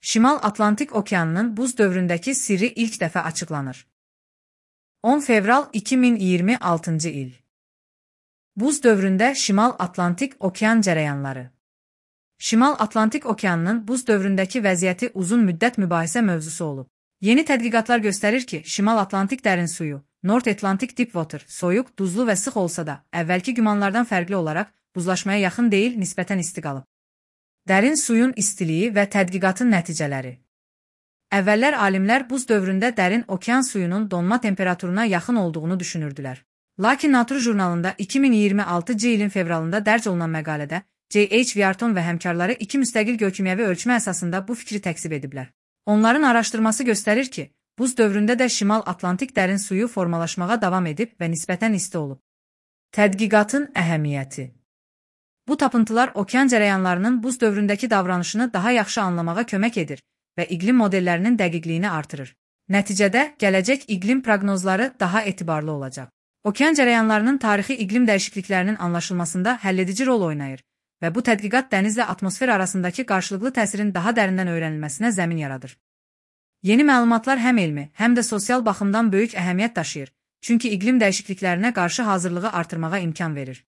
Şimal Atlantik Okeanının buz dövründəki sirri ilk dəfə açıqlanır. 10 fevral 2026-cı il. Buz dövründə Şimal Atlantik Okean cərəyanları. Şimal Atlantik Okeanının buz dövründəki vəziyyəti uzun müddət mübahisə mövzusu olub. Yeni tədqiqatlar göstərir ki, Şimal Atlantik dərin suyu, North Atlantic Deepwater, soyuq, duzlu və sıx olsa da, əvvəlki gümanlardan fərqli olaraq buzlaşmaya yaxın deyil, nisbətən isti qalıb. Dərin suyun istiliyi və tədqiqatın nəticələri. Əvvəllər alimlər buz dövründə dərin okean suyunun donma temperaturuna yaxın olduğunu düşünürdülər. Lakin Nature jurnalında 2026-cı ilin fevralında dərc olunan məqalədə J.H. Wharton və həmkarları 2 müstəqil geokimyəvi ölçmə əsasında bu fikri təksib ediblər. Onların araşdırması göstərir ki, buz dövründə də Şimal Atlantik dərin suyu formalaşmağa davam edib və nisbətən isti olub. Tədqiqatın əhəmiyyəti. Bu tapıntılar okean cərəyanlarının buz dövründəki davranışını daha yaxşı anlamağa kömək edir və iqlim modellərinin dəqiqliyini artırır. Nəticədə, gələcək iqlim proqnozları daha etibarlı olacaq. Okean cərəyanlarının tarixi iqlim dəyişikliklərinin anlaşılmasında həlledici rol oynayır və bu tədqiqat dənizlə atmosfer arasındakı qarşılıqlı təsirin daha dərindən öyrənilməsinə zəmin yaradır. Yeni məlumatlar həm elmi, həm də sosial baxımdan böyük əhəmiyyət daşıyır, çünki iqlim dəyişikliklərinə qarşı hazırlığı artırmağa imkan verir.